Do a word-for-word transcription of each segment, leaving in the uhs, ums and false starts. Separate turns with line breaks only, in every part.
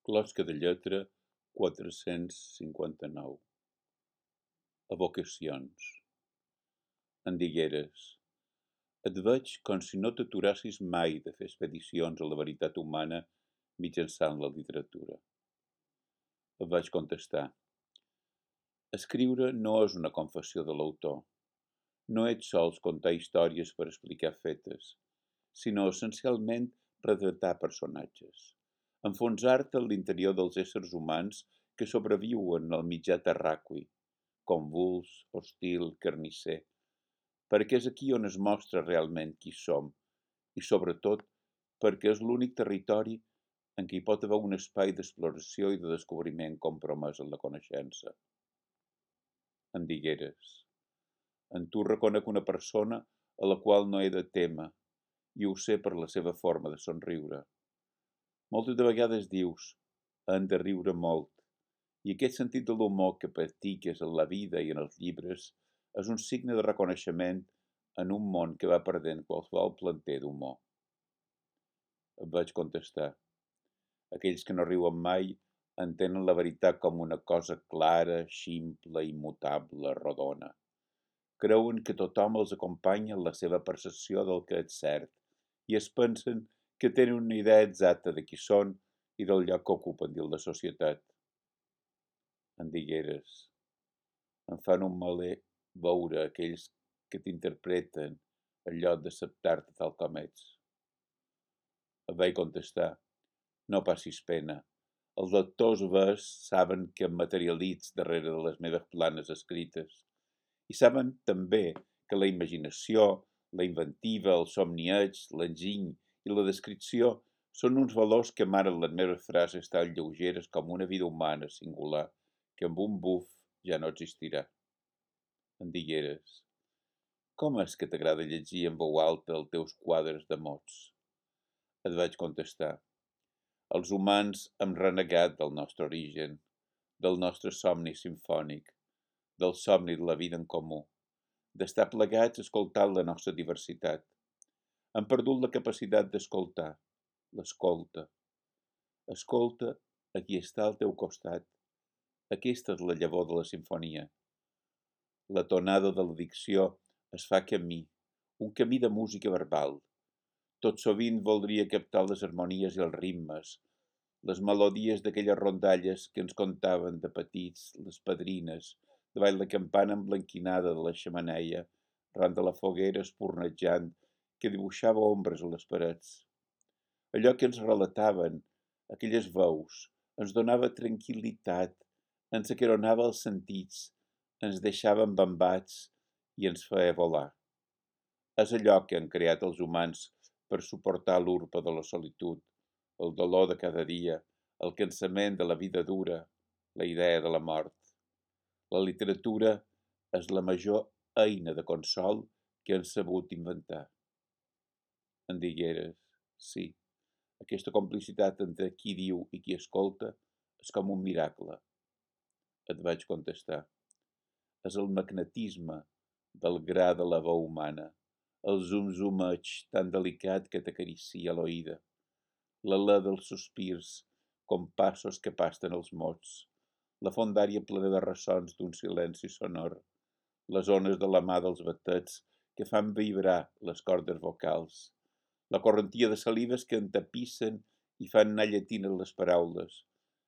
Closca de lletra quatre-cents cinquanta-nou. Evocacions. En digueres: et veig com si no t'aturassis mai de fer expedicions a la veritat humana mitjançant la literatura. Et vaig contestar: escriure no és una confessió de l'autor. No ets sols contar històries per explicar fetes, sinó essencialment retratar personatges, enfonsar-te en l'interior dels éssers humans que sobreviuen al mitjà terraqüi, convuls, hostil, carnisser, perquè és aquí on es mostra realment qui som i, sobretot, perquè és l'únic territori en què hi pot haver un espai d'exploració i de descobriment compromès en la coneixença. En digueres: en tu reconec una persona a la qual no he de témer, i ho sé per la seva forma de somriure. Moltes de vegades dius: hem de riure molt, i aquest sentit de l'humor que practiques en la vida i en els llibres és un signe de reconeixement en un món que va perdent qualsevol planter d'humor. Et vaig contestar: aquells que no riuen mai entenen la veritat com una cosa clara, ximple, immutable, rodona. Creuen que tothom els acompanya en la seva percepció del que és cert i es pensen que tenen una idea exacta de qui són i del lloc que ocupen dins la societat. En digueres: em fan un maler veure aquells que t'interpreten en lloc d'acceptar-te tal com ets. Et vaig contestar: no passis pena. Els lectors vers saben que em materialitzo darrere de les meves planes escrites i saben també que la imaginació, la inventiva, el somnieig, l'enginy i la descripció són uns valors que amaren les meves frases tan lleugeres com una vida humana singular que amb un buf ja no existirà. En digueres: com és que t'agrada llegir en veu alta els teus quadres de mots? Et vaig contestar: els humans hem renegat del nostre origen, del nostre somni simfònic, del somni de la vida en comú, d'estar plegats escoltant la nostra diversitat. Hem perdut la capacitat d'escoltar, l'escolta. Escolta a qui està al teu costat. Aquesta és la llavor de la simfonia. La tonada de la dicció es fa camí, un camí de música verbal. Tot sovint voldria captar les harmonies i els ritmes, les melodies d'aquelles rondalles que ens contaven de petits les padrines, davall la campana emblanquinada de la xemeneia, ran de la foguera espurnejant que dibuixava ombres a les parets. Allò que ens relataven, aquelles veus, ens donava tranquil·litat, ens acaronava els sentits, ens deixava embambats i ens feia volar. És allò que han creat els humans per suportar l'urpa de la solitud, el dolor de cada dia, el cansament de la vida dura, la idea de la mort. La literatura és la major eina de consol que han sabut inventar. En digueres: sí, aquesta complicitat entre qui diu i qui escolta és com un miracle. Et vaig contestar: és el magnetisme del gra de la veu humana, el zum-zumeig tan delicat que t'acaricia l'oïda, l'alè dels sospirs, compassos que pasten els mots, la fondària plena de ressons d'un silenci sonor, les ones de la mà dels batets que fan vibrar les cordes vocals, la correntia de salives que entapissen i fan anar llatines les paraules,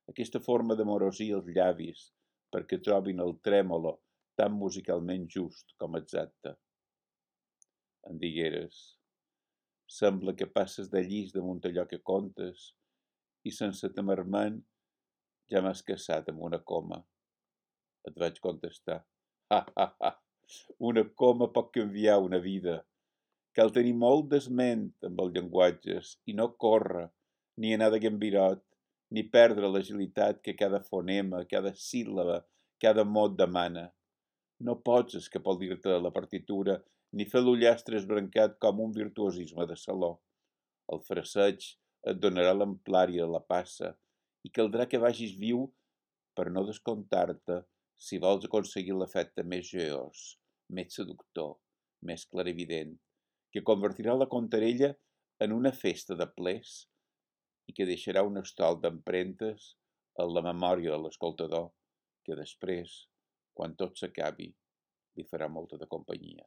aquesta forma d'amorosir els llavis perquè trobin el trèmolo tan musicalment just com exacte. En digueres: sembla que passes de llis damunt allò que contes i sense temer-me'n ja m'has caçat amb una coma. Et vaig contestar: ha, ha, ha, una coma pot canviar una vida. Cal tenir molt d'esment amb els llenguatges i no córrer, ni anar de gambirot, ni perdre l'agilitat que cada fonema, cada síl·laba, cada mot demana. No pots escapolir-te de la partitura ni fer l'ullastre esbrancat com un virtuosisme de saló. El fraseig et donarà l'amplària de la passa i caldrà que vagis viu per no descomptar-te si vols aconseguir l'efecte més joiós, més seductor, més clarivident, que convertirà la contarella en una festa de plers i que deixarà un estol d'empremtes en la memòria de l'escoltador que després, quan tot s'acabi, li farà molta de companyia.